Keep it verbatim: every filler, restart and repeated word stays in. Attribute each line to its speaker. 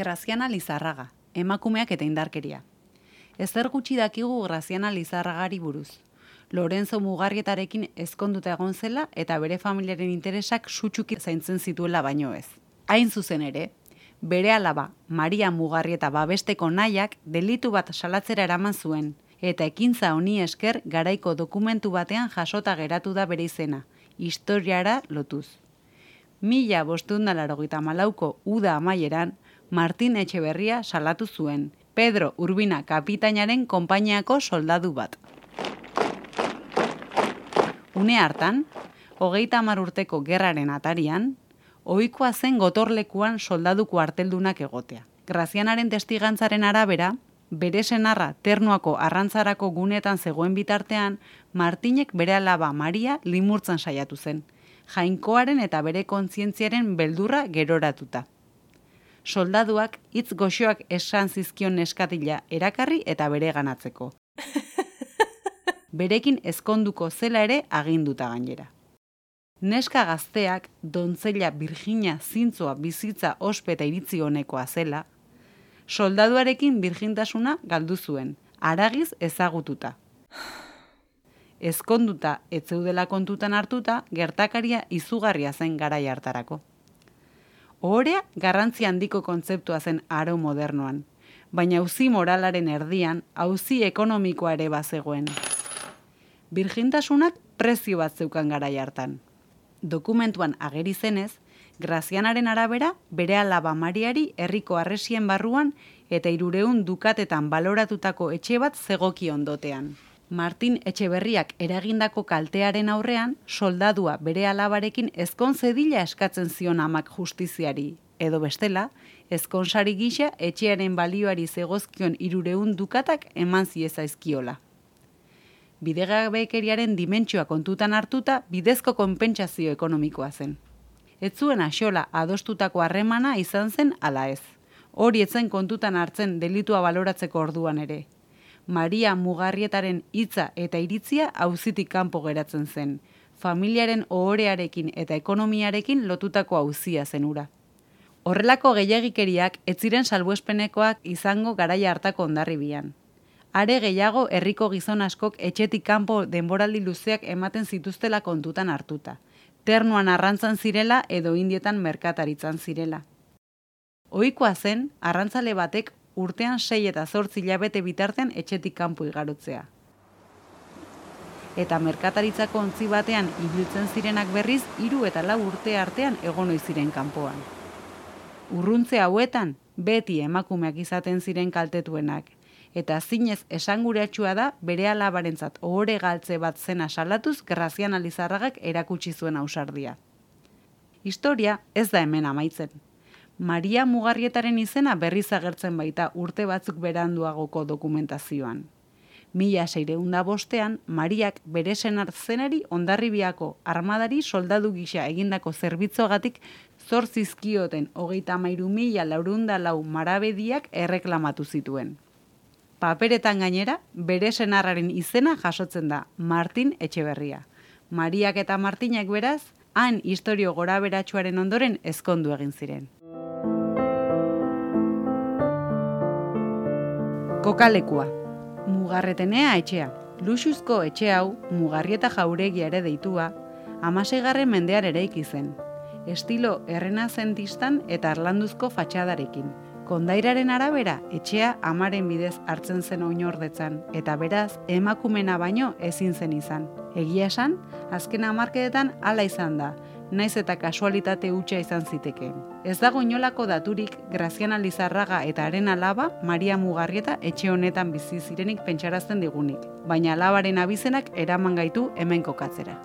Speaker 1: Graziana Lizarraga, emakumeak eta indarkeria. Ezer gutxi dakigu Graziana Lizarragari buruz. Lorenzo Mugarrietarekin ezkonduta egon zela eta bere familiaren interesak sutsuki zaintzen zituela baino ez. Hain zuzen ere, bere alaba Maria Mugarrieta babesteko nahiak delitu bat salatzera eraman zuen, eta ekintza honi esker garaiko dokumentu batean jasota geratu da bere izena, historiara lotuz. Mila bostehun eta laurogeita hamalauko uda amaieran, Martin Etxeberria salatu zuen, Pedro Urbina kapitainaren konpainiako soldadu bat. Une hartan, hogeita hamar urteko gerraren atarian, ohikoa zen gotorlekuan soldadu kuarteldunak egotea. Grazianaren testigantzaren arabera, bere senarra Ternuako arrantzarako gunetan zegoen bitartean, Martinek bere alaba Maria limurtzen saiatu zen, jainkoaren eta bere kontzientziaren beldurra geroratuta. Soldaduak hitz goxoak esan zizkion neskatila erakarri eta bere ganatzeko. Berekin ezkonduko zela ere aginduta gainera. Neska gazteak dontzella Virginia zintzoa bizitza ospe eta iritzi honekoa zela, soldaduarekin birjintasuna galdu zuen, haragiz ezagututa. Ezkonduta ez zeudela kontutan hartuta, gertakaria izugarria zen garai hartarako. Ohorea garrantzi handiko kontzeptua zen aro modernoan, baina auzi moralaren erdian, auzi ekonomikoa ere bazegoen. Birjintasunak prezio bat zeukan garai hartan. Dokumentuan ageri zenez, Grazianaren arabera bere alaba Mariari herriko harresien barruan eta hirurehun dukatetan baloratutako etxe bat zegoki ondotean. Martin Etxeberriak eragindako kaltearen aurrean, soldadua bere alabarekin ezkon zedila eskatzen zion amak justiziari, edo bestela, ezkonsari gisa etxearen balioari zegozkion hirurehun dukatak eman ziezaizkiola. Bidegabekeriaren dimentsioa kontutan hartuta, bidezko konpentsazio ekonomikoa zen. Ez zuen axola adostutako harremana izan zen ala ez. Hori etzen kontutan hartzen delitua baloratzeko orduan ere. Maria Mugarrietaren hitza eta iritzia auzitik kanpo geratzen zen, familiaren ohorearekin eta ekonomiarekin lotutako auzia zen hura. Horrelako gehiagikeriak ez ziren salbuespenekoak izango garaia hartako hondarribian. Are gehiago herriko gizon askok etxetik kanpo denboraldi luzeak ematen zituztela kontutan hartuta. Ternuan arrantzan zirela edo Indietan merkataritzan zirela. Ohikoa zen, arrantzale batek urtean sei eta zortzi hilabete bitartean etxetik kanpo igarotzea. Eta merkataritzako ontzi batean ibiltzen zirenak berriz hiru eta lau urte artean egon ohi ziren kanpoan. Urruntze hauetan beti emakumeak izaten ziren kaltetuenak, eta zinez esanguratsua da bere alabarentzat ohore galtze bat zena salatuz Graziana Lizarragak erakutsi zuen ausardia. Historia ez da hemen amaitzen. Maria Mugarrietaren izena berriz agertzen baita urte batzuk beranduagoko dokumentazioan. Mila seiehun eta bostean, Mariak bere senar zenari Hondarribiako armadari soldadu gisa egindako zerbitzuagatik zor zizkioten hogeita hamairu mila laurehun eta lau marabediak erreklamatu zituen. Paperetan gainera, bere senarraren izena jasotzen da, Martin Etxeberria. Mariak eta Martinek beraz, han istorio goraberatsuaren ondoren ezkondu egin ziren. Kokalekua. Mugarretenea etxea. Luxuzko etxe hau, Mugarrieta jauregia ere deitua, hamaseigarren mendean eraiki zen. Estilo errenazentistan eta harlanduzko fatxadarekin. Kondairaren arabera, etxea amaren bidez hartzen zen oinordetzan, eta beraz, emakumena baino ezin zen izan. Egia esan, azken hamarkadetan hala izan da, naiz eta kasualitate hutsa izan zitekeen. Ez dago inolako daturik Graziana Lizarraga eta haren alaba Maria Mugarrieta etxe honetan bizi zirenik pentsarazten digunik, baina alabaren abizenak eraman gaitu hemen kokatzera.